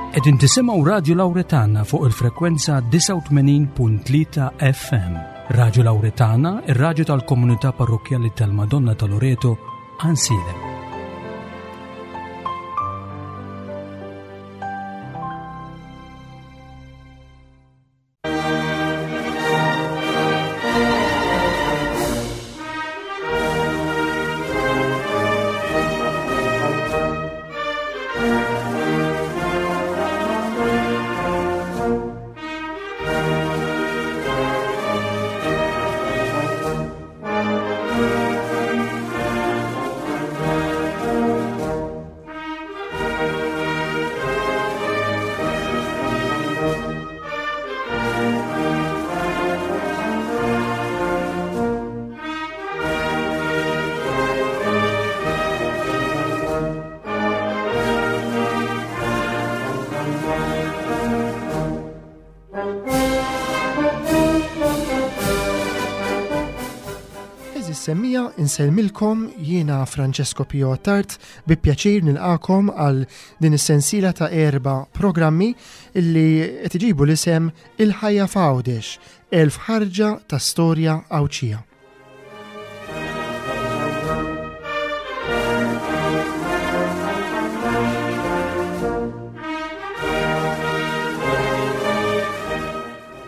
Qegħdin tisimgħu Radju Lawretana fuq il-frekwenza 89.3 FM. Radju Lawretana, ir-radju tal-komunità parrokkjali tal-Madonna ta' Loreto, Ansilem. Semmija insellmilkom jiena Francesco Pio Attard bi pjaċir nilqakom għal din is-sensiela ta' erba' programmi illi qed iġibu l-isem Il-Ħajja f'Għawdex, 1000 ħarġa ta' storja Għawdxija.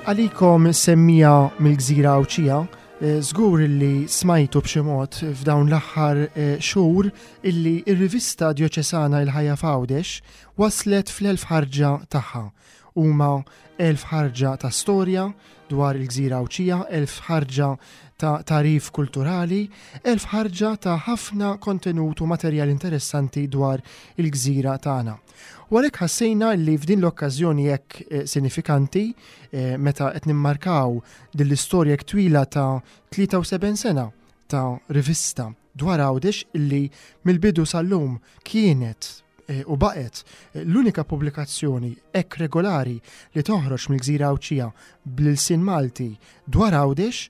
Għalikom semmija mill-gżira Għawdxija, eh, żgur illi smajtu b'xi mod f'dawn l-aħħar eh, xhur illi ir-rivista djoċesana Il-Ħajja f'Għawdex waslet fl-elf ħarġa tagħha. Huma 1000 ħarġa ta' storja dwar il-gżira Għawdxija, 1000 ħarġa ta' tagħrif kulturali, 1000 ħarġa ta' ħafna kontenut u materjal interessanti dwar il-gżira tagħna. U għalhekk ħassejna li f'din l-okkażjoni hekk eh, sinifikanti eh, meta qed nimmarkaw din l-istorja hekk twila ta' 73 sena ta' rivista dwar Għawdex illi mill-bidu sal-lum kienet eh, u baqgħet eh, l-unika pubblikazzjoni hekk regolari li toħroġ mill-Gżira Għawdxija bl-ilsien Malti dwar Għawdex,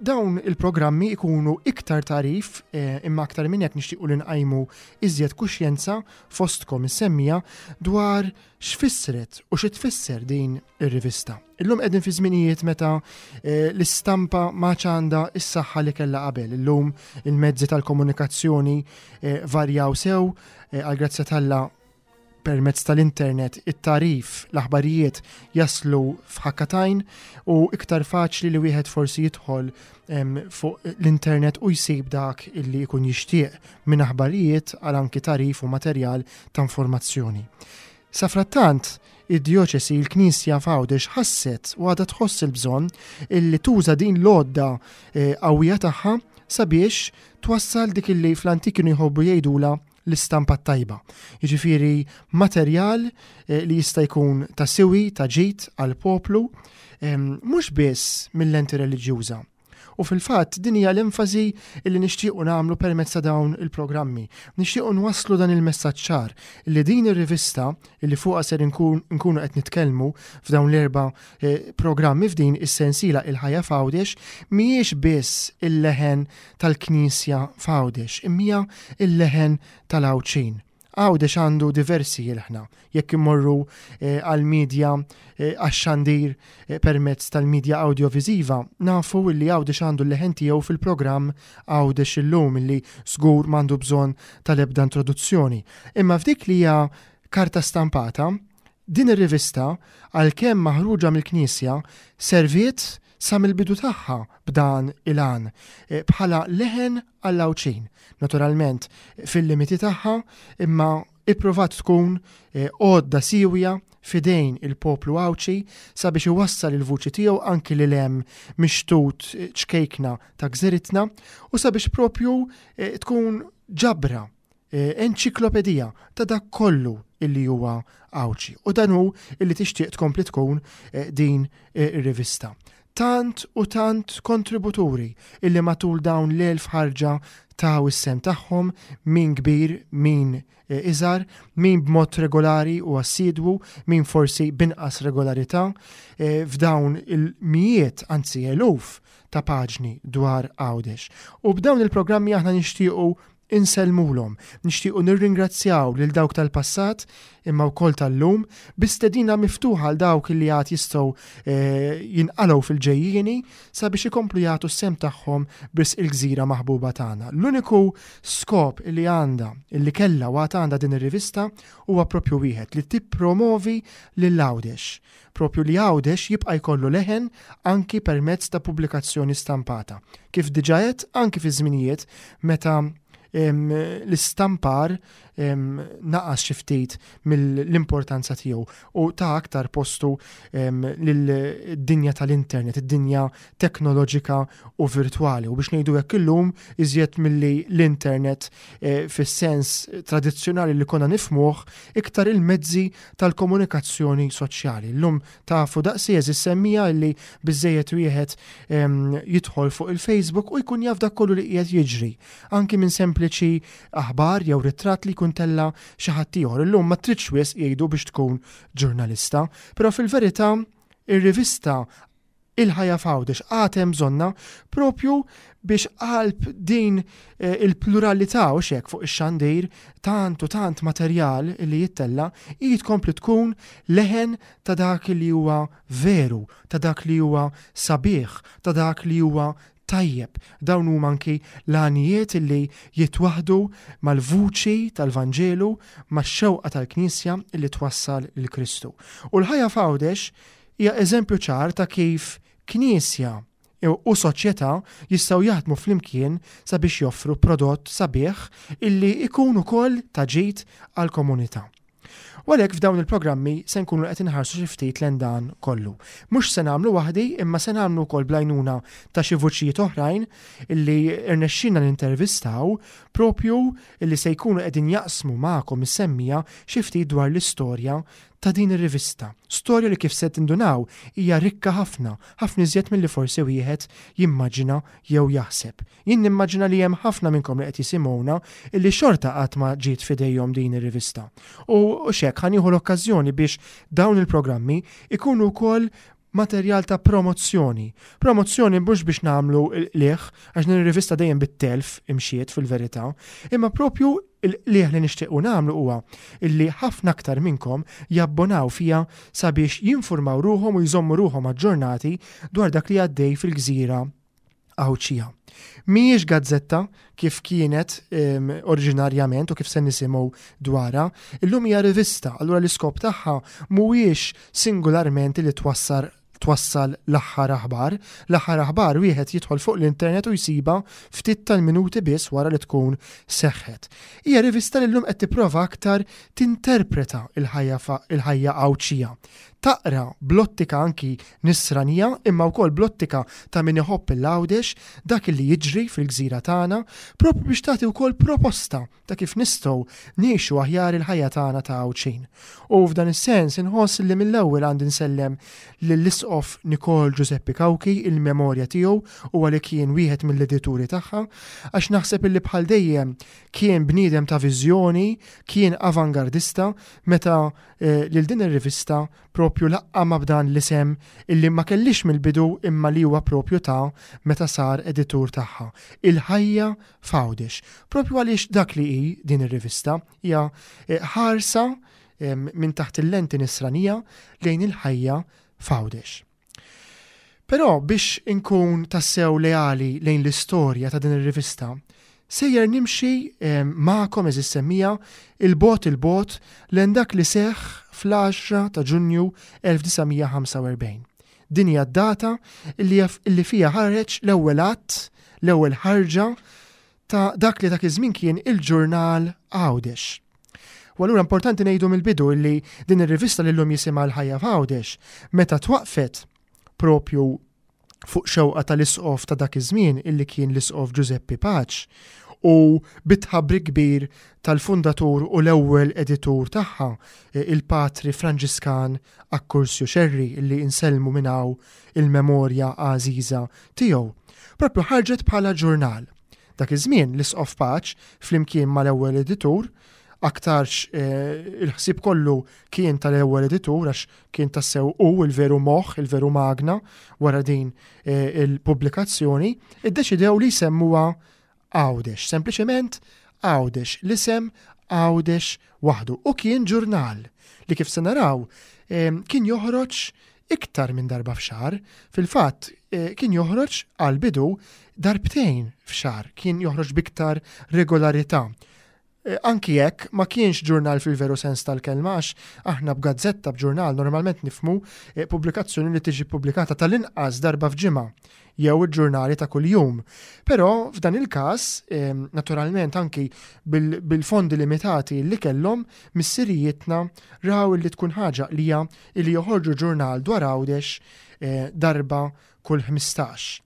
dawn il-programmi ikunu iktar tarif eh, imma aktar minn hekk nixtiequ li nqajmu iżjed kuxjenza fostkom is-semmija dwar x'fissret u xi tfisser din ir-rivista. Illum qegħdin fi żminijiet meta eh, l-istampa ma għandha s-saħħa li kellha qabel. Illum il-mezzi tal-komunikazzjoni eh, varjaw sew eh, għal grazzja talla permezz tal-internet it-tarif, l-aħbarijiet jaslu f'ħakkatajn u iktar faċli li wieħed forsi jidħol fuq l-internet u jsib dak illi jkun jixtieq minn aħbarijiet għal anki tarif u materjal ta' informazzjoni. Safrattant, id-djoċesi, il-Knisja f'Għawdex ħasset u għadha tħoss il-bżonn illi tuża din l-għodda eh, qawwija tagħha sabiex twassal dik illi fl-antik kienu jħobbu jgħidula l-istampa tajba. Jiġifieri materjal eh, li jista' jkun ta' siwi, ta' ġid għall-poplu, eh, mhux biss mill-lenti reliġjuża, U fil-fatt din hija l-enfasi li nixtiequ nagħmlu permezz ta' dawn il-programmi. Nixtiequ nwasslu dan il-messaġġ ċar li din ir-rivista li fuqha ser nkunu qed nitkellmu f'dawn l-erba' eh, programmi f'din is-sensiela il-ħajja f'Għawdex mhijiex biss il-leħen tal-Knisja f'Għawdex, imma il-leħen tal-Għawdxin. Għawdex għandu diversi ilħna. Jekk immorru eh, għal-medja eh, għax-xandir eh, permezz tal-medja awdjoviżiva, nafu li Għawdex għandu l-leħen tiegħu fil-programm Għawdex illum illi żgur m'għandu bżonn tal-ebda introduzzjoni. Imma f'dik li hija karta stampata, din ir-rivista għalkemm maħruġa mill-Knisja serviet sa mill-bidu tagħha b'dan il-għan bħala leħen għall-Għawdxin. Naturalment fil-limiti tagħha imma ippruvat tkun eh, għodda siwja fidejn il-poplu Għawdxi sabiex iwassal il-vuċi tiegħu anki lil hemm mixtut eh, ċkejkna ta' gżiritna u sabiex propju eh, tkun ġabra enċiklopedija ta' dak kollu illi huwa Għawdxi. U dan hu illi tixtieq tkompli tkun din ir-rivista. Tant u tant kontributuri illi matul dawn l-1000 ħarġa taw is-sehem tagħhom, min kbir, min eh, iżgħar, min b'mod regolari u assidwu, min forsi b'inqas regolarità, eh, f'dawn il-mijiet, anzi eluf ta' paġni dwar Għawdex. U b'dawn il-programmi aħna nixtiequ Insellmulhom, nixtiequ nirringrazzjaw lil dawk tal-passat imma wkoll tal-lum bi stedina miftuħa għal dawk li għad jistgħu eh, jinqalgħu fil-ġejjieni sabiex ikomplu jagħtu s-sehem tagħhom b'risq il-gżira maħbuba tagħna. L-uniku skop li għandha, li kellha u għad għandha din ir-rivista huwa propju wieħed li tippromovi lil Għawdex. Propju li Għawdex jibqa' jkollu leħen anki permezz ta' pubblikazzjoni stampata. Kif diġà għedt anki fi żminijiet meta l-istampar naqas xi ftit mill-importanza tiegħu u ta' aktar postu lid-dinja tal-internet, id-dinja teknoloġika u virtwali. U biex ngħidu hekk illum iżjed milli l-internet eh, fis-sens tradizzjonali li konna nifmuh iktar il-mezzi tal-komunikazzjoni soċjali. Llum tafu daqsi eżis semmija illi biżejjed wieħed jidħol fuq il-Facebook u jkun jaf dak kollu li qiegħed jiġri, anki minn sempliċi aħbar jew ritratt li jkun tella xi ħadd ieħor. Illum ma tridx wisq jgħidu biex tkun ġurnalista, però fil-verità ir-rivista Il-ħajja f'Għawdex għad hemm bżonnha propju biex qalb din eh, il-pluralità u xek fuq ix-xandir tant u tant materjal li jittella hi tkompli tkun leħen ta' dak li huwa veru, ta' dak li huwa sabiħ, ta' dak li huwa tajjeb. Dawn huma anki l-għanijiet li jitwaħdu mal-vuċi tal-Vanġelu, max-xewqa tal-Knisja li twassal lil Kristu. U l-ħajja f'Għawdex hija eżempju ċar ta' kif Knisja u soċjetà jistgħu jaħdmu flimkien sabiex joffru prodott sabiħ illi jkun ukoll ta' ġid għall-komunità. U għalhekk f'dawn il-programmi se nkunu qed inħarsu xi ftit lejn dan kollu. Mhux se nagħmlu waħdi imma se nagħmlu wkoll bl-għajnuna ta' xi vuċijiet oħrajn illi rnexxina nintervistaw propju illi se jkunu qegħdin jaqsmu magħkom is-semmija xi ftit dwar l-istorja ta' din ir-rivista. Storja li kif se tindunaw hija rikka ħafna, ħafna iżjed milli forsi wieħed jimmaġina jew jaħseb. Jien nimmaġina li hemm ħafna minnkom li qed jisimgħuna illi xorta qatt ma ġiet f'idejhom din ir-rivista. U x'hekk ħa nieħu l-okkażjoni biex dawn il-programmi ikunu wkoll materjal ta' promozzjoni. Promozzjoni mhux biex nagħmlu l-qligħ, għax din ir-rivista dejjem bit-telf imxiet fil-verità, imma propju l-qligħ li nixtiequ nagħmlu huwa illi ħafna aktar minnkom jabbonaw fiha sabiex jinfurmaw ruħhom u jżommu ruħhom aġġornati dwar dak li għaddej fil-gżira Għawdxija. Mhijiex gazzetta kif kienet oriġinarjament u kif se nisimgħu dwarha, illum hija rivista, allura l-iskop tagħha mhuwiex singularment li twassar twassal l-aħħar aħbar. L-aħħar aħbar wieħed jidħol fuq l-internet u jsibha ftit tal-minuti biss wara li tkun seħħet. Hija rivista li llum qed tipprova aktar tinterpreta l-ħajja Għawdxija. Taqra bl-ottika anki Nisranija imma wkoll bl-ottika ta' min iħobb 'il Għawdex dak li jiġri fil-gżira tagħna, proprju biex tagħti wkoll proposta ta' kif nistgħu ngħixu aħjar il-ħajja tagħna ta' Għawdxin. U f'dan is-sens inħoss li mill-ewwel għandi nsellem lill-Isqof Nikol Ġużeppi Cauchi il-memorja tiegħu huwa li kien wieħed mill-edituri tagħha għax naħseb illi bħal dejjem kien bniedem ta' viżjoni, kien avangardista meta eh, lil din ir-rivista propju laqqamha b'dan l-isem illi ma kellix mill-bidu imma li huwa propju ta meta sar editur tagħha, Il-Ħajja f'Għawdex. Propju għaliex dak li hi din ir-rivista hija eh, ħarsa eh, minn taħt il-lenti nisranija lejn il-ħajja f'Għawdex. Però biex inkun tassew leali lejn l-istorja ta' din ir-rivista, sejjer nimxi magħkom eżis semmija il-bogħod il-bogħod lejn dak li seħħ fl-10 ta' Ġunju 1945. Din hija d-data li fiha ħareġ l-ewwel att, l-ewwel ħarġa ta' dak li dak iż-żmien kien il-ġurnal Għawdex. U allura importanti ngħidu mill-bidu li din ir-rivista li llum jisimha l-Ħajja f'Għawdex, meta twaqfet propju fuq xewqa tal-isqof ta' dak iż-żmien illi kien l-isqof Ġużeppi Paċ u bit-tħabbrik kbir tal-fundatur u l-ewwel editur tagħha, il-Patri Franġiskan Akkursju Xerri illi insellmu minn hawn il-memorja għażiża tiegħu. Propju ħarġet bħala ġurnal. Dak iż-żmien l-Isqof Paċ flimkien mal-ewwel editur, aktarx eh, il-ħsieb kollu kien tal-ewwel editur għax kien tassew hu il-veru moħħ, il-veru magna wara din eh, il-pubblikazzjoni, iddeċidew li jsemmuha Għawdex, sempliċement Għawdex, l-isem Għawdex waħdu u kien ġurnal li kif se naraw kien joħroġ iktar minn darba f'xahar. Fil-fatt eh, kien joħroġ għal bidu darbtejn f'xahar, kien joħroġ biktar regolarità. Eh, anki jekk ma kienx ġurnal fil-veru sens tal-kelma għax aħna b'gazzetta b'ġurnal normalment nifmu eh, pubblikazzjoni li tiġi pubblikata tal-inqas darba f'ġimgħa jew il-ġurnali ta' kuljum. Però f'dan il-każ, ehm, naturalment anki bil-fondi limitati li kellhom, missirijietna raw li tkun ħaġa qlija li joħorġu ġurnal dwar Għawdex eh, darba kull 15.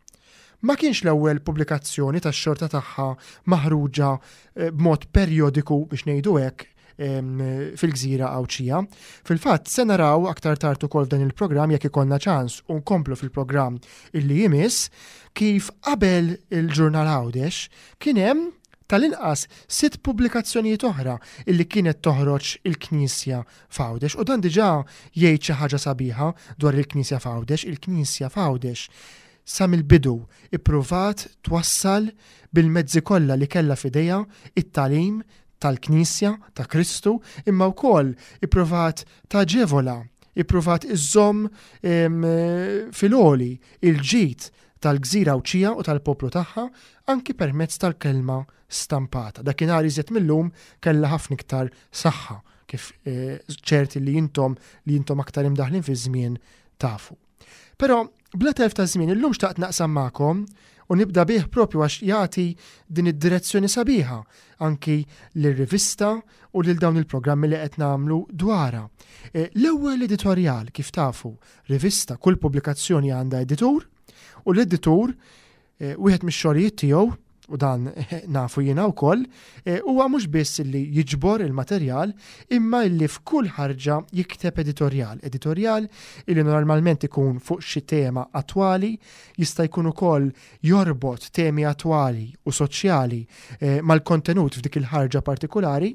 Ma kienx l-ewwel pubblikazzjoni tax-xorta tagħha maħruġa eh, b'mod perjodiku biex ngħidu hekk fil-gżira Għawdxija. Fil-fatt, se naraw aktar tard ukoll f'dan il-programm jekk ikollna ċans u nkomplu fil-programm illi jmiss kif qabel il-ġurnal Għawdex kien hemm tal-inqas sitt pubblikazzjonijiet oħra illi kienet toħroġ il-Knisja f'Għawdex u dan diġà jgħid xi ħaġa sabiħa dwar il-Knisja f'Għawdex. Il-Knisja f'Għawdex sa mill-bidu ippruvat twassal bil-mezzi kollha li kellha f'idejha it-tagħlim tal-Knisja ta' Kristu imma wkoll ippruvat taġevola, ippruvat iżżomm fil-għoli il-ġid tal-gżira Għawdxija u tal-poplu tagħha anki permezz tal-kelma stampata. Dakinhar iżjed mil-lum kellha ħafna iktar saħħa kif eh, ċerti li intom li intom aktar imdaħlin fiż-żmien tafu. Però bla telf ta' żmien illum xtaqt naqsam magħkom u nibda bih propju għax jagħti din id-direzzjoni sabiħa anki lir-rivista u lil dawn il-programmi li qed nagħmlu dwarha. Eh, l-ewwel editorjal kif tafu, rivista, kull pubblikazzjoni għandha editur u l-editur eh, wieħed mix-xogħlijiet tiegħu u dan nafu jiena wkoll, eh, huwa mhux biss li jiġbor il-materjal, imma illi f'kull ħarġa jikteb editorjal. Editorjal illi normalment ikun fuq xi tema attwali, jista' jkun ukoll jorbot temi attwali u soċjali eh, mal-kontenut f'dik il-ħarġa partikolari,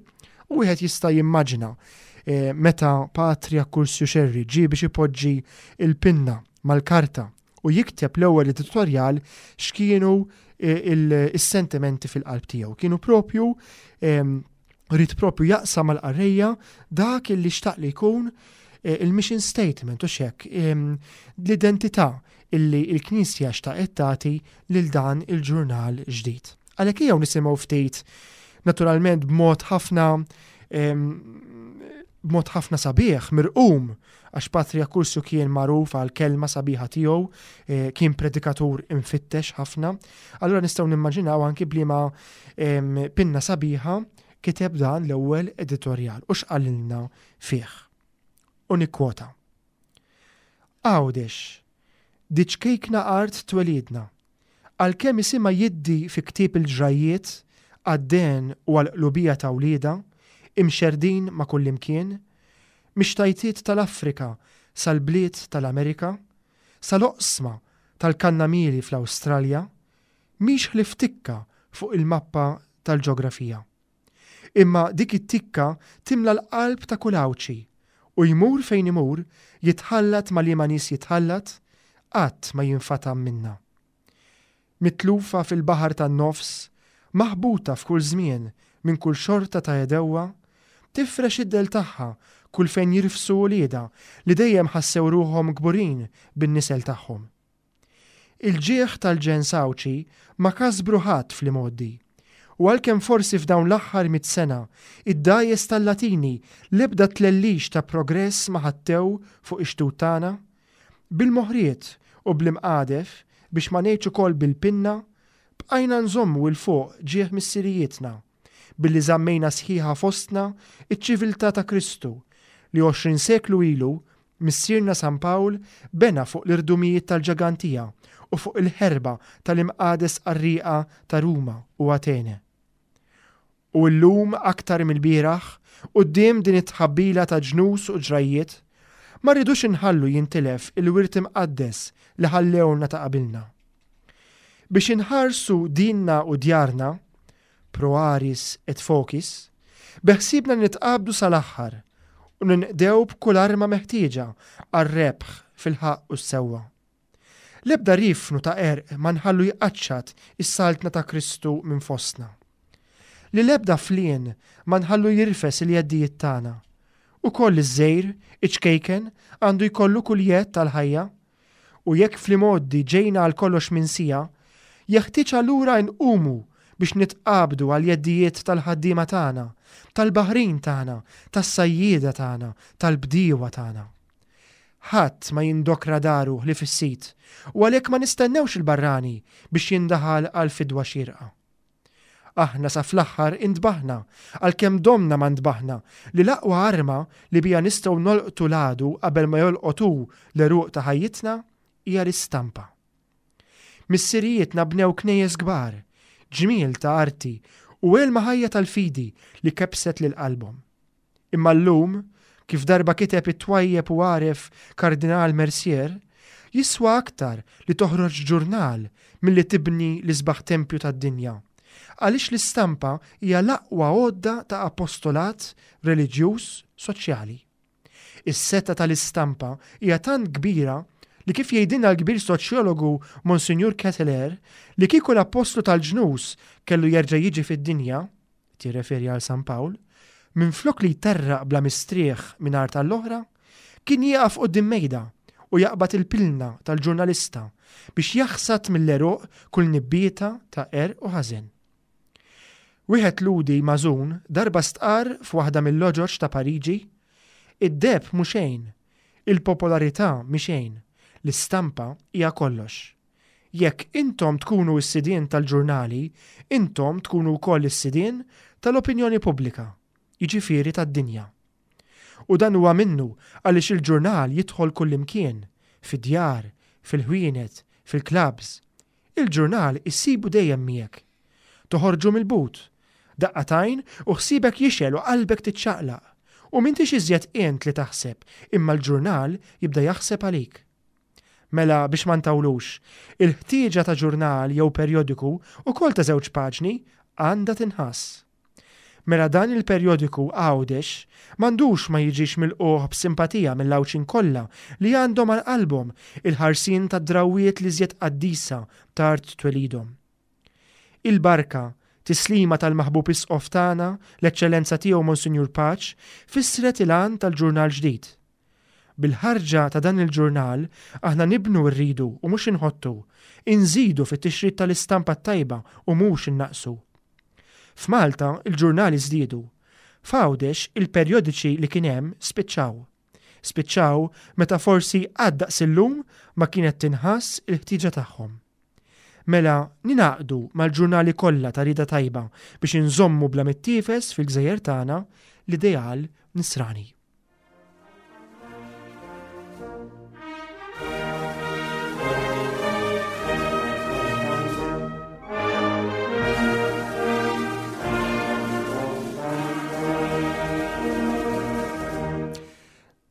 u wieħed jista' jimmaġina eh, meta Patri Akkursju Xerri ġie biex ipoġġi il-pinna mal-karta u jikteb l-ewwel editorjal x'kienu eh, is-sentimenti fil-qalb tiegħu. Kienu propju ehm, rrid propju jaqsam mal-qarrejja dak li xtaq li jkun eh, il-mission statement u xek ehm, l-identità illi il-Knisja xtaqet tagħti lil dan il-ġurnal ġdid. Għalhekk ejjew nisimgħu ftit naturalment b'mod ħafna ehm, b'mod ħafna sabiħ, mirqum, għax Patri Akkursju kien magħruf għal kelma sabiħa tiegħu, eh, kien predikatur imfittex ħafna. Allura nistgħu nimmaġinaw anki bliema ehm, pinna sabiħa kiteb dan l-ewwel editorjal u x'qalilna fih. U nikkwota. Għawdex, di ċkejkna art twelidna, Għalkemm isimha jiddi fi ktieb il-ġrajjiet, għad-dehen u għall-qlubija ta' wliedha, imxerrdin ma' kullimkien, mix-xtajtiet tal-Afrika sal-bliet tal-Amerika, sal-oqsma tal-kannamieli fl-Awstralja, mhix ħlief tikka fuq il-mappa tal-ġografija. Imma dik it-tikka timla l-qalb ta' kull Għawdxi, u jmur fejn imur, jitħallat ma' liema nies jitħallat, qatt ma jinfatam minnha. Mitlufa fil-baħar tan-nofs, maħbuta f'kull żmien minn kull xorta ta' għedewwa, tifrex id-dell tagħha kull fejn jirfsu uliedha li dejjem ħassew ruħhom kburin bin-nisel tagħhom. Il-ġieħ tal-ġens Għawdxi ma kasbru ħadd fl-imgħoddi. U għalkemm forsi f'dawn l-aħħar mitt sena id-dgħajjes tal-Latini l-ebda tlellix ta' progress ma ħattew fuq ix-xtut tagħna, bil-moħriet u bl-imqadef, biex ma ngħidx ukoll bil-pinna, bqajna nżommu 'l fuq ġieħ missirijietna, billi żammejna sħiħa fostna ċ-ċiviltà ta' Kristu li 20 seklu ilu Missierna San Pawl bena fuq l-irdumijiet tal-ġagantija u fuq il-ħerba tal-imqades qarrieqa ta' Ruma u Atene. U illum aktar mill-bieraħ, quddiem din it-tħabbila ta' ġnus u ġrajjiet, ma rridux inħallu jintilef il-wirt imqaddes li ħallewlna ta' qabilna. Biex inħarsu dinna u djarna, pro aris et focis, beħsiebna li nitqabdu sal-aħħar u ninqdew b'kull arma meħtieġa għar-rebħ fil-ħaqq u s-sewwa. L-ebda riefnu ta' qerq ma nħallu jqaċċat is-saltna ta' Kristu minn fostna. Li l-ebda flien ma nħallu jirfes il-jeddijiet tagħna. Ukoll iż-żgħir, iċ-ċkejken, għandu jkollu kull jedd għall-ħajja. U jekk fl-imgħoddi ġejna għal kollox minsija, jeħtieġ allura inqumu biex nitqabdu għall-jeddijiet tal-ħaddiema tagħna, tal-baħrin tagħna, tas-sajjieda tagħna, tal-bdiewa tagħna. Ħadd ma jindokra daru ħlief is-sid, u għalhekk ma nistennewx il-barrani biex jindaħal għal fidwa xierqa. Aħna sa fl-aħħar intbaħna, għalkemm domna ma ntbaħna, li l-aqwa arma li biha nistgħu nolqtu l-għadu qabel ma jolqot hu l-għeruq ta' ħajjitna hija l-istampa. Missirijietna bnew knejjes kbar, ġmiel ta' arti u għelma ħajja tal-fidi li kebbset lil qalbhom. Imma llum, kif darba kiteb it-twajjeb u għaref Kardinal Mercier, jiswa aktar li toħroġ ġurnal milli tibni l-isbaħ tempju tad-dinja, għaliex l-istampa hija l-aqwa għodda ta' apostolat reliġjuż soċjali. Is-setgħa tal-istampa hija tant kbira li kif jgħidilna l-kbir soċjologu Monsinjur Ketteler, li kieku l-appostlu tal-ġnus kellu jerġa' jiġi fid-dinja, qed jirreferi għal San Pawl, minflok li jterraq bla mistrieħ minn art għall-oħra, kien jieqaf quddiem mejda u jaqbad il-pilna tal-ġurnalista biex jaħsad mill-għeruq kull nibbieta ta' qerq u ħażen. Wieħed Lhudi magħżun darba stqarr f'waħda mil-loġoġ ta' Pariġi, Id-deheb mhu xejn, il-popolarità mhi xejn, l-istampa hija kollox. Jekk intom tkunu s-sidien tal-ġurnali, intom tkunu wkoll is-sidien tal-opinjoni pubblika, jiġifieri tad-dinja. U dan huwa minnu għaliex il-ġurnal jidħol kullimkien, fid-djar, fil-ħwienet, fil-clubs. Il-ġurnal issibu dejjem miegħek. Toħorġu mill-but. Daqqa t'għajn u ħsiebek jixgħel u qalbek tiċċaqlaq. U m'intix iżjed int li taħseb, imma l-ġurnal jibda jaħseb għalik. Mela biex ma ntawlux, il-ħtieġa ta' ġurnal jew perjodiku, ukoll ta' żewġ paġni, għandha tinħass. Mela dan il-perjodiku Għawdex m'għandux ma jiġix milqugħ b'simpatija mill-Għawdxin kollha li għandhom għal qalbhom il-ħarsien tad-drawwiet l-iżjed qaddisa ta' art twelidhom. Il-barka, tislima tal-maħbub Isqof tagħna, l-Eċċellenza Tiegħu Monsinjur Pace, fissret il-għan tal-ġurnal ġdid. Bil-ħarġa ta' dan il-ġurnal, aħna nibnu rridu u mhux inħottu, inżidu fit-tixrid tal-istampa t-tajba u mhux innaqqsu. F'Malta, il-ġurnali żdiedu. F'Għawdex, il-perjodiċi li kien hemm spiċċaw. Spiċċaw meta forsi qatt daqs illum ma kienet tinħass il-ħtieġa tagħhom. Mela ningħaqdu mal-ġurnali kollha ta' rieda tajba biex inżommu bla mittiefes fil-gżejjer tagħna l-ideal Nisrani.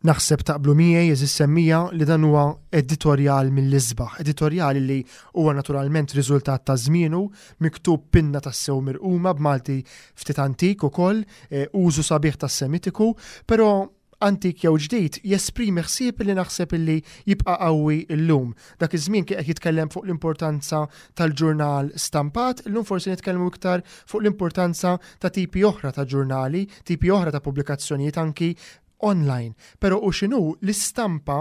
Naħseb taqblu miegħi għeżież semmiegħa li dan huwa editorjal mill-isbaħ, editorjal li huwa naturalment riżultat ta' żmienu, miktub pinna tassew mirquma b'Malti ftit antik ukoll, eh, użu sabiħ tas-Semitiku, però antik jew ġdid jesprimi ħsieb li naħseb illi jibqa' qawwi llum. Dak iż-żmien kien qed jitkellem fuq l-importanza tal-ġurnal stampat, illum forsi nitkellmu iktar fuq l-importanza ta' tipi oħra ta' ġurnali, tipi oħra ta' pubblikazzjonijiet anki online. Però hu x'inhu, l-istampa,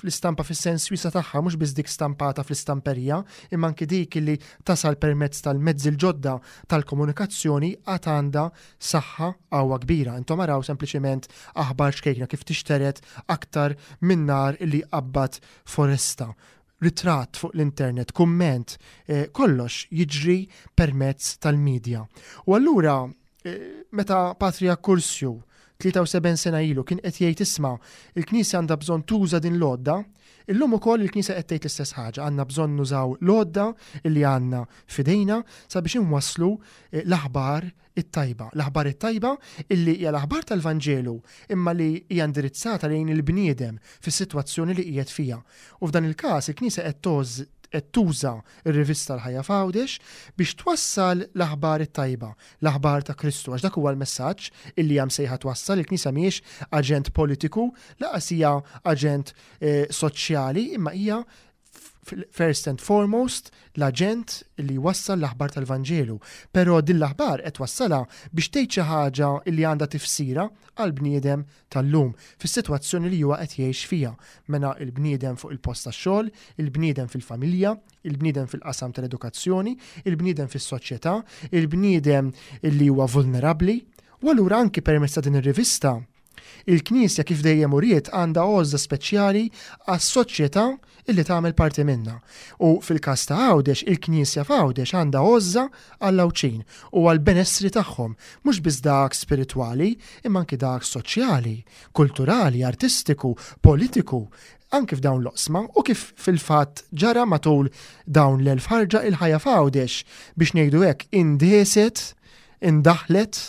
l-istampa fis-sens wiesa' tagħha, mhux biss dik stampata fl-istamperija, imma anki dik li tasal permezz tal-mezzi l-ġodda tal-komunikazzjoni għad għandha saħħa qawwa kbira. Intom araw sempliċiment aħbar ċkejkna kif tixtered aktar minn nar li jqabbad foresta. Ritratt fuq l-internet, kumment, eh, kollox jiġri permezz tal-medja. U allura eh, meta Patri Akkursju 73 sena ilu kien qed jgħid isma' il-Knisja għandha bżonn tuża din l-għodda, illum ukoll il-Knisja qed tgħid l-istess ħaġa, għandna bżonn nużaw l-għodda li għandna f'idejna sabiex inwasslu eh, l-aħbar it-tajba. L-aħbar it-tajba illi hija l-aħbar tal-Vanġelu imma li hija indirizzata lejn il-bniedem fis-sitwazzjoni li qiegħed fiha. U f'dan il-każ il-Knisja qed qed tuża r-rivista L-Ħajja f'Għawdex biex twassal l-aħbar it-tajba, l-aħbar ta' Kristu, għax dak huwa l-messaġġ illi hija msejħa twassal, il-Knisja mhijiex aġent politiku, laqas hija aġent eh, soċjali, imma hija first and foremost l-aġent li jwassal l-aħbar tal-Vanġelu, però din l-aħbar qed twassalha biex tgħid xi ħaġa li għandha tifsira għall-bniedem tal-lum fis-sitwazzjoni li huwa qed jgħix fiha, mela l-bniedem fuq il-post tax-xogħol, il-bniedem fil-familja, il-bniedem fil-qasam tal-edukazzjoni, il-bniedem fis-soċjetà, il-bniedem li huwa vulnerabbli. U allura anki permezz ta' din ir-rivista, il-Knisja kif dejjem uriet għandha għożża speċjali għas-soċjetà illi tagħmel parti minnha. U fil-każ ta' Għawdex, il-Knisja f'Għawdex għandha għożża għall-Għawdxin u għall-benessri tagħhom, mhux biss dak spiritwali, imma anki dak soċjali, kulturali, artistiku, politiku, anki f'dawn l-oqsma u kif fil-fatt ġara matul dawn l-1000 ħarġa il-ħajja f'Għawdex, biex ngħidu hekk, indieset, indaħlet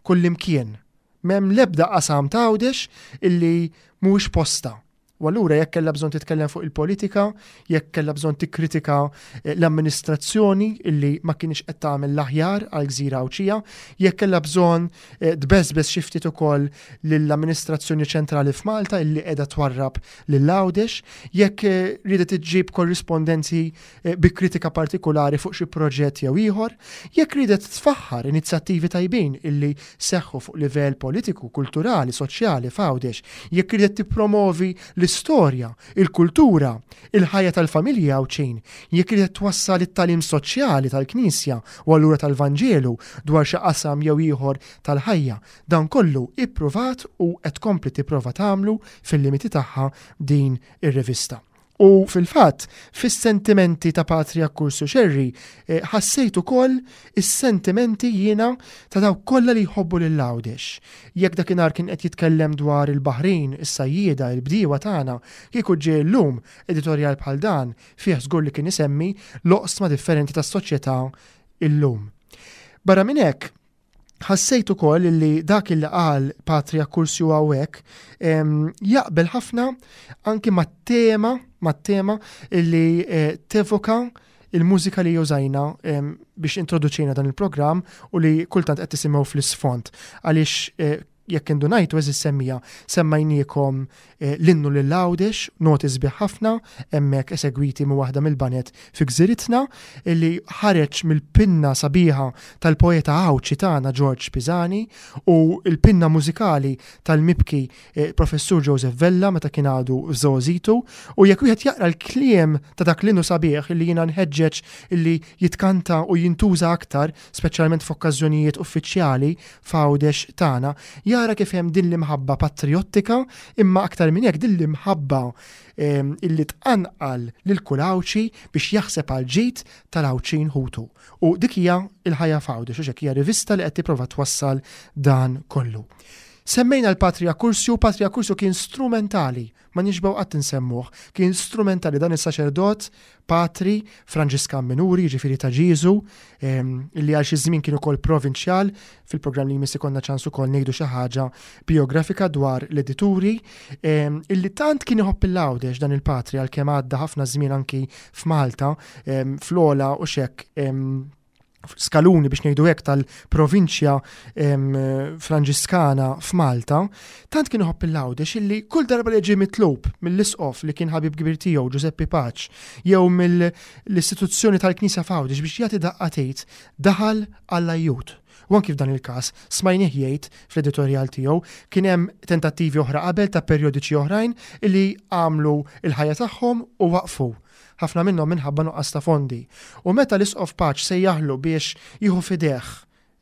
kullimkien. M'hemm l-ebda qasam t'Għawdex illi mhuwiex postha. U allura jekk kellha bżonn titkellem fuq il-politika, jekk kellha bżonn tikkritika eh, l-amministrazzjoni illi ma kienx qed tagħmel l-aħjar għal gżira Għawdxija, jekk kellha bżonn eh, tbeżbeż xi ftit ukoll lill-amministrazzjoni ċentrali f'Malta illi qiegħda twarrab lil Għawdex, jekk eh, riedet iġġib korrispondenzi bi kritika partikulari fuq xi proġett jew ieħor, jekk riedet tfaħħar inizjattivi tajbin illi seħħu fuq livell politiku, kulturali, soċjali f'Għawdex, jekk riedet tippromovi l-istorja, il-kultura, il-ħajja tal-familji Għawdxin, jekk riedet twassal it-tagħlim soċjali tal-Knisja u allura tal-Vanġelu dwar xi qasam jew ieħor tal-ħajja, dan kollu ippruvat u qed tkompli tipprova tagħmlu fil-limiti tagħha din ir-rivista. U fil-fatt, fis-sentimenti ta' Patri Accursio Scerri, eh, ħassejt ukoll is-sentimenti jiena ta' dawk kollha li jħobbu lil Għawdex. Jekk dakinhar kien qed jitkellem dwar il-baħrin, is-sajjieda, il-bdiewa tagħna, kieku ġie llum editorjal bħal dan, fih żgur li kien isemmi l-oqsma differenti tas-soċjetà illum. Barra minn hekk, Ħassejt ukoll li dak li qal Patri Accursio hawnhekk jaqbel ħafna anki mat-tema mat-tema li eh, tevoka il-mużika li użajna biex introduċejna dan il-programm u li kultant qed tisimgħu fl-isfond għaliex eh, jekk indunajtu eżis semmija semmajniekom eh, l-innu lil Għawdex, noti sbieħ ħafna, hemmhekk esegwiti minn waħda mill-banet fi gżiritna, li ħareġ mill-pinna sabiħa tal-poeta Għawdxi tagħna George Pisani u l-pinna mużikali tal-mibki eh, Professur Joseph Vella meta kien għadu f'żgħożitu u jekk wieħed jaqra l-kliem ta' dak l-innu sabiħ li jiena nħeġġeġ illi jitkanta u jintuża aktar, speċjalment f'okkażjonijiet uffiċjali f'Għawdex tagħna, jara kif hemm din l-imħabba patrijottika imma aktar minn hekk din l-imħabba ehm, illi tqanqal lil kull Għawdxi biex jaħseb għal ġid tal-Għawdxin ħutu. U dik hija l-ħajja f'Għawdex, u hija rivista li qed tipprova twassal dan kollu. Semmejna l-Patri Accursio, Patri Accursio kien strumentali ma nixbgħu qatt insemmuh, kien strumentali dan is-saċerdot patri Franġiskan Minuri, jiġifieri ta' Ġieżu, ehm, li għal xi żmien kien ukoll provinċjal, fil-programm li jmiss ikollna ċans ukoll ngħidu xi ħaġa biografika dwar l-edituri, ehm, illi tant kien iħobb il-Għawdex dan il-patri għalkemm għadda ħafna żmien anki f'Malta, ehm, fl-ola u xek skaluni biex ngħidu hekk tal-provinċja Franġiskana f'Malta, tant kien iħobb il-Għawdex illi kull darba li ġie mitlub mill-isqof li kien ħabib kbir tiegħu Ġużeppi Paċ jew mill-istituzzjoni tal-Knisja f'Għawdex biex jagħti daqqa tgħid daħal għall-ajjut. U anki f'dan il-każ smajnih jgħid fl-editorjal tiegħu kien hemm tentattivi oħra qabel ta' perjodiċi oħrajn illi għamlu l-ħajja tagħhom u waqfu ħafna minnhom minħabba nuqqas ta' fondi. U meta l-Isqof Paċ sejjaħlu biex jieħu f'idejh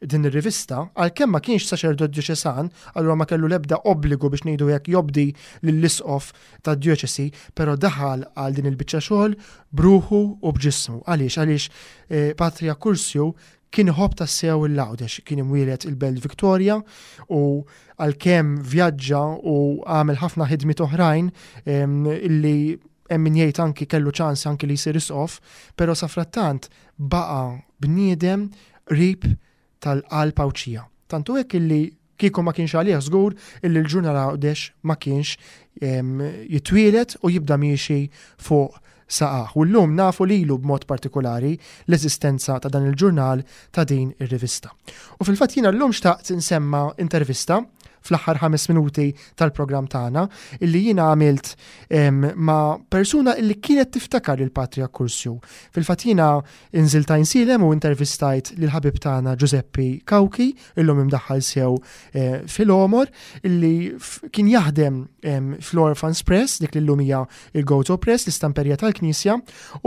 din ir-rivista, għalkemm ma kienx saċerdot djoċesan, allura ma kellu l-ebda obbligu biex ngħidu hekk jobdi lill-isqof tad-djoċesi, però daħal għal din il-biċċa xogħol b'ruħu u b'ġismu. Għaliex? Għaliex eh, Patri Accursio kien iħobb tassew il-Għawdex, kien imwieled il-Belt Victoria u għalkemm vjaġġa u għamel ħafna ħidmiet oħrajn illi hemm min jgħid anki kellu ċans anki li jsir isqof, però safrattant baqa' bniedem qrib tal-qalb Għawdxija. Tant hu hekk illi kieku ma kienx għalih żgur illi l-ġurnal Għawdex ma kienx jitwieled u jibda miexi fuq saqajh. U llum nafu lilu b'mod partikulari l-eżistenza ta' dan il-ġurnal ta' din ir-rivista. U fil-fatt jiena llum xtaqt insemma intervista fl-aħħar 5 minuti tal-programm tagħna illi jiena għamilt ma' persuna illi kienet tiftakar lil Patri Akkursju. Fil-fatt jiena inżilt Għajnsielem u intervistajt lil ħabib tagħna Giuseppe Cauchi, illum imdaħħal sew eh, fil-għomor, illi kien jaħdem fl-Orphans Press, dik li llum hija il-Gozo Press, l-istamperija tal-Knisja,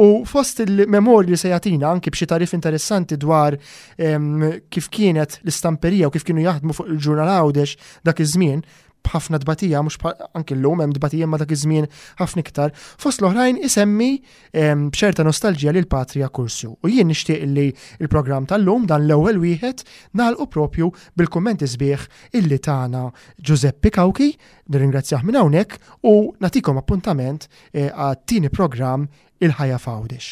u fost il-memorji li se jagħtina anki b'xi tarif interessanti dwar kif kienet l-istamperija u kif kienu jaħdmu fuq il-ġurnal Għawdex dak iż-żmien, b'ħafna tbatija, mhux anki llum hemm tbatija ma dak iż-żmien ħafna iktar, fost l-oħrajn isemmi b'ċerta nostalġija lil Patria Kursju. U jien nixtieq li l-programm tal-lum dan l-ewwel wieħed nagħlqu propju bil-kummenti sbieħ illi tana Giuseppe Cauchi, nirringrazzjah minn hawnhekk u nagħtikom appuntament eh, għat-tieni programm Il-Ħajja f'Għawdex.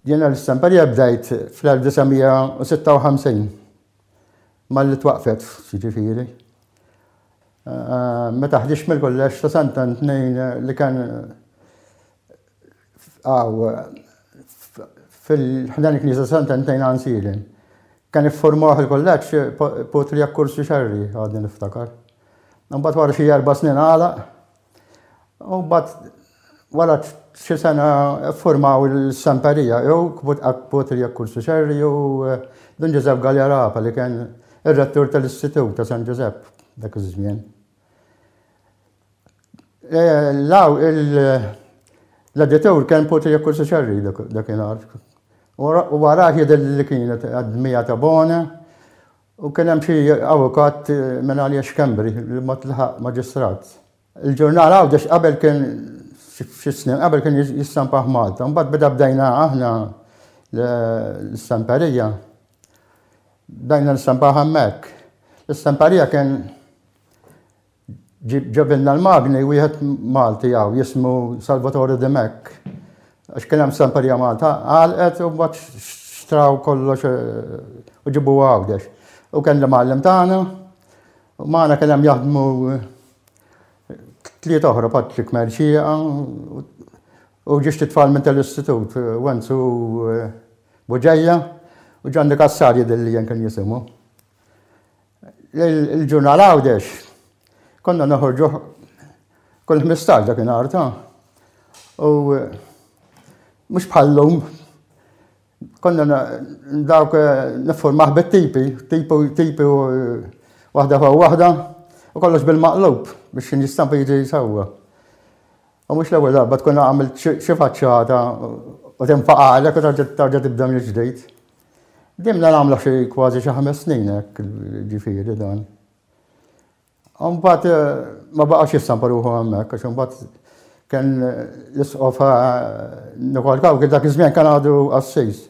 Jiena l-istamperija bdejt fl-1956 malli twaqfet, jiġifieri. Eh, meta ħdiġt mill-kulleġġ ta' Sant'Antnin li kien għaw fil-ħdan il-Knisja Sant'Antnin Għansilin. Kien iffurmawh il-kulleġġ Putri Akkursi Xerri għadni niftakar. Mbagħad wara xi erba' snin għalaq U mbagħad wara xi sena ffurmaw il-Semperija jew Putri Akkursi Xerri u eh, Dun Ġużepp Galea Rapa li kien ir-rettur tal-Istitut ta' San Ġużepp dak iż-żmien. Eh, law l-editur kien Putri Akkursi Xerri dakinhar. U wara jidher li kienet għad-dmija ta' Bona u kien hemm xi avukat minn għalija Schembri li ma tlaħaq maġistrat. Il-ġurnal Għawdex qabel kien xi snin qabel kien jistampah Malta, mbagħad beda bdejna aħna l-istamperija. Bdejna nistampah hemmhekk. L-istamperija kien ġabilna l-magni wieħed Malti hawn jismu Salvatore Dimech. Għax kien hemm stamperija Malta, għalqet u mbagħad xtraw kollox eh, u ġibu Għawdex. U kien l-imgħallem tagħna, u magħna kien hemm jaħdmu tliet oħra Patrick Mercieqa u ġiex tfal minn tal-istitut, Wenzu eh, Buġeja u Ġanni Kassar jidhirli jien kien jisimu. Il-ġurnal Għawdex konna noħorġu kull 15 dakinhar ta' u eh, mhux bħallum konna dawk eh, niffurmah bit-tipi, tipu tipi eh, waħda fuq waħda u kollox bil-maqlub biex jistampa jiġi sewwa. U mhux l-ewwel darba tkun għamilt xi faċċata u tinfaqalek u tarġa' tibda mill-ġdid. Dimna nagħmlu xi kważi xi ħames snin hekk ġifieri dan. Mbagħad eh, ma baqax jistampa ruħu hemmhekk għax imbagħad kien l-isqof eh, Nikol Kawki dak iż-żmien kien għadu qassis.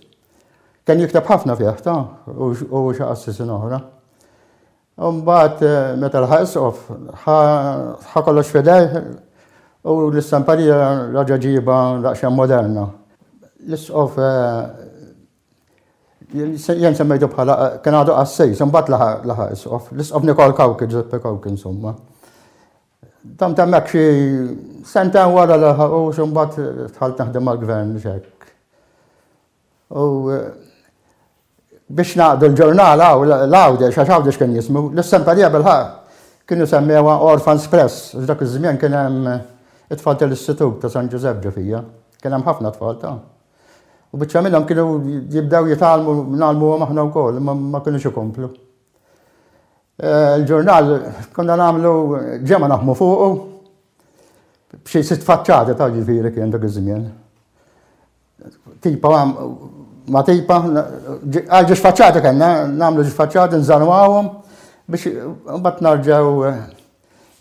Kien jikteb ħafna fih ta' u xi qassisin oħra. Mbagħad eh, meta laħaq isqof ħa kollox f'idejh u l-istamparija raġa' ġiba daqsxejn moderna. L-isqof Jien semmejtu bħala kien għadu qassis, imbagħad laħaq isqof. L-isqof Nikol Kawki, Giuseppe Kawki insomma. Dam temmek xi sentejn wara laħaq u imbagħad dħalt naħdem mal-gvern xek. U biex naqdu l-ġurnal l-Għawdex, għax Għawdex kien jismu, l-istamperija bil-ħaq kienu semmewha Orphans Press, għax dak iż-żmien kien hemm it-tfal tal-Istitut ta' San Ġużepp ġo fija. Kien hemm ħafna tfal ta' U biċċa minnhom kienu jibdew jitgħallmu ngħallmuhom aħna wkoll, imma ma kinux ikomplu. Eh, il-ġurnal konna nagħmlu ġemma naħmu fuqu b'xi sitt faċċati ta' ġifieri kien dak iż-żmien. Tipa ma tipa, għal ġiex faċċati kellna, nagħmlu ġiex faċċati nżanwawhom biex mbagħad narġgħu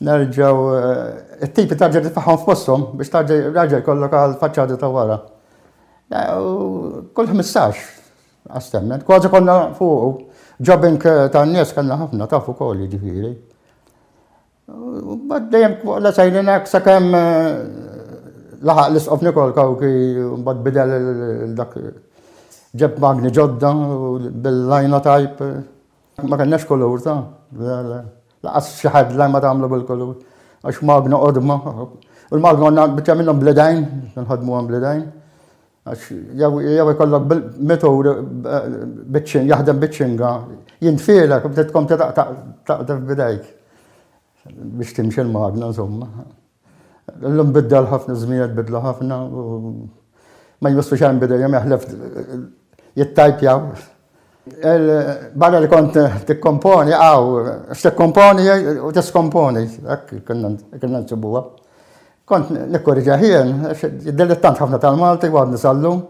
Nerġgħu eh, it-tipi tarġa' titfaħħom f'posthom biex tarġa' raġel jkollok għal faċċata ta' wara. Eh, kull 15 għastemmen, kważi konna fuq. Jobbing eh, ta' nies kellna ħafna taf ukoll jiġifieri. Bad dejjem la sejrin hekk sakemm laħaq l-isqof Nikol Kawki mbagħad bidel dak ġeb magni ġodda bil-linotype. Ma kellnax kulur ta' Laqas xi headline ma tagħmlu bil-kulur. Għax magna qodma. U l-magna għandna biċċa minnhom bl-idejn, nħadmuhom bl-idejn. Għax jew ikollok bil-mitur jaħdem biċ-ċinga, jintfielek u bdiet tkompli taqdef bidejk. biex timxi l-magna insomma. Illum biddel ħafna żmien bidlu ħafna u ma jmissu xejn bidejhom jaħlef jittajpjaw. Barra li kont tikkomponi, għaw, x'tikkomponi u tiskomponi, hekk konna nsibuha. Kont nikkorriġi ħien, dilettant ħafna tal-Malti u għadni sallum,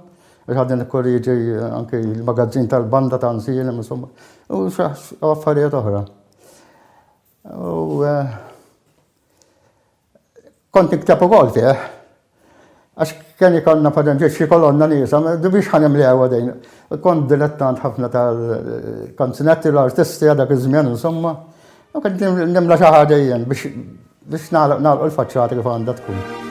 għax għadni nikkorriġi anki l-magazzin tal-banda ta' Nsilem, insomma, u affarijiet oħra. U eh, kont nikteb ukoll fih. Għax kien ikollna per xi kolonna niesa, biex ħa nimlew din. Kont dilettant ħafna tal-kanzunetti l-artisti dak iż-żmien insomma. U kont nimla xi ħaġa jien biex biex nagħlqu l-faċċata kif għandha tkun.